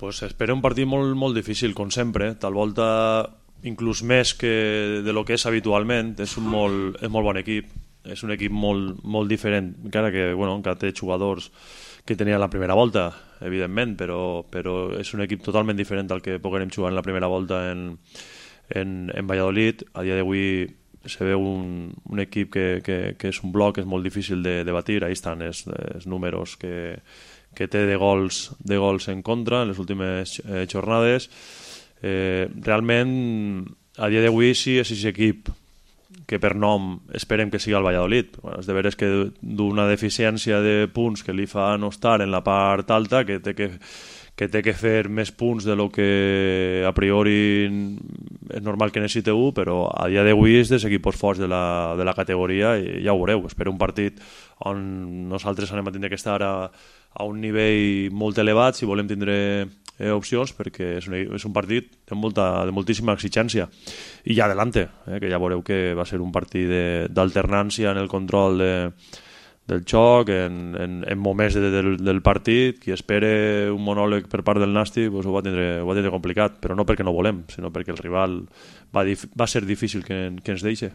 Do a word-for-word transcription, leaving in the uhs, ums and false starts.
Pues espera un partit molt, molt difícil, com sempre. Tal volta, inclús més que de lo que és habitualment. És un molt, és molt bon equip. És un equip molt, molt diferent, encara que, bueno, encara té jugadors que tenia la primera volta, evidentment, però, però és un equip totalment diferent al que poguérem jugar en la primera volta en, en, en Valladolid. A dia d'avui se veu un, un equip que, que, que és un bloc, és molt difícil de, de batir. Ahí estan els, els números que, que té de gols, de gols en contra en les últimes eh, jornades. Eh, realment, a dia d'avui sí és aquest equip que per nom esperem que sigui el Valladolid. Bueno, és de veres que d'una deficiència de punts que li fa no estar en la part alta, que té que, que té que fer més punts de lo que a priori és normal que necessite un, però a dia d'avui és dels equips forts de la, de la categoria i ja ho veureu. Espero un partit on nosaltres anem a tindre que estar a, a un nivell molt elevat si volem tindre eh, opcions, perquè és un, és un partit de, molta, de moltíssima exigència. I ja adelante, eh, que ja veureu que va ser un partit d'alternància en el control de, del joc, en, en, en moments de, del, del partit. Qui espere un monòleg per part del Nàstic pues ho, va tindre, ho va tindre complicat, però no perquè no volem, sinó perquè el rival va, dif va ser difícil que, que ens deixi.